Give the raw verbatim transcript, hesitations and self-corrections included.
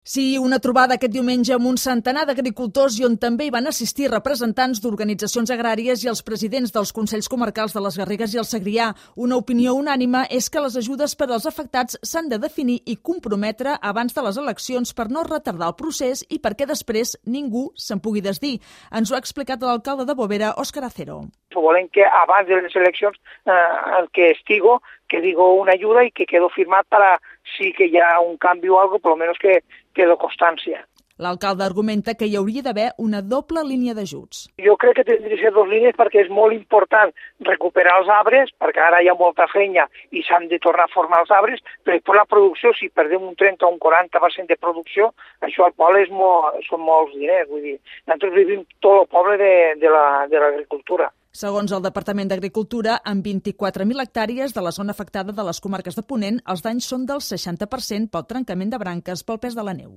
Sí, una trobada aquest diumenge amb un centenar d'agricultors i on també hi van assistir representants d'organitzacions agràries i els presidents dels Consells Comarcals de les Garrigues i el Segrià. Una opinió unànime és que les ajudes per als afectats s'han de definir i comprometre abans de les eleccions per no retardar el procés i perquè després ningú se'n pugui desdir. Ens ho ha explicat l'alcalde de Bovera, Òscar Acero. Volem que abans de les eleccions eh, el que estigo, que digo una ayuda y que quedo firmat para si que hi ha un canvi o algo, por lo menos que quedo constància. L'alcalde argumenta que hi hauria d'haver una doble línia d'ajuts. Jo crec que tindria que ser dues línies perquè és molt important recuperar els arbres, perquè ara hi ha molta feina i s'han de tornar a formar els arbres, però després la producció, si perdem un trenta o un quaranta per cent de producció, això al poble és molt, són molts diners. Vull dir, nosaltres vivim tot el poble de, de la, de l'agricultura. Segons el Departament d'Agricultura, amb vint-i-quatre mil hectàrees de la zona afectada de les comarques de Ponent, els danys són del seixanta per cent pel trencament de branques pel pes de la neu.